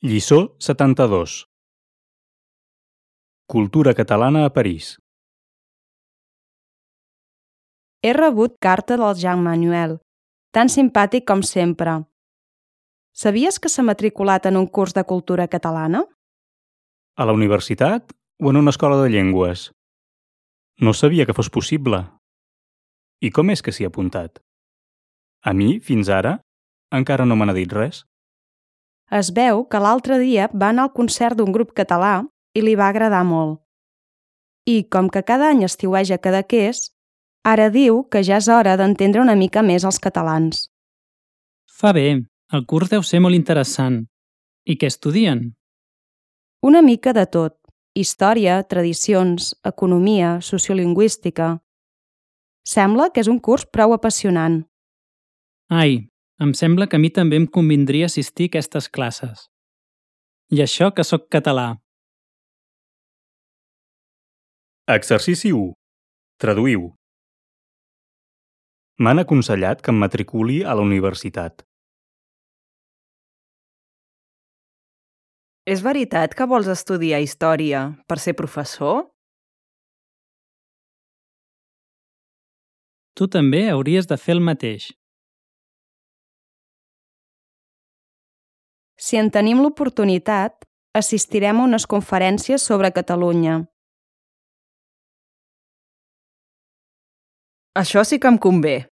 Lliçó 72. Cultura catalana a París. He rebut carta del Jean Manuel, tan simpàtic com sempre. Sabies que s'ha matriculat en un curs de cultura catalana? A la universitat o en una escola de llengües? No sabia que fos possible. I com és que s'hi ha apuntat? A mi, fins ara, encara no me n'ha dit res. Es veu que l'altre dia va anar al concert d'un grup català i li va agradar molt. I, com que cada any estiueja Cadaqués, ara diu que ja és hora d'entendre una mica més els catalans. Fa bé, el curs deu ser molt interessant. I què estudien? Una mica de tot: història, tradicions, economia, sociolingüística. Sembla que és un curs prou apassionant. Ai, em sembla que a mi també em convindria assistir a aquestes classes. I això que sóc català. Exercici 1. Traduïu. M'han aconsellat que em matriculi a la universitat. És veritat que vols estudiar història per ser professor? Tu també hauries de fer el mateix. Si en tenim l'oportunitat, assistirem a unes conferències sobre Catalunya. Això sí que em convé.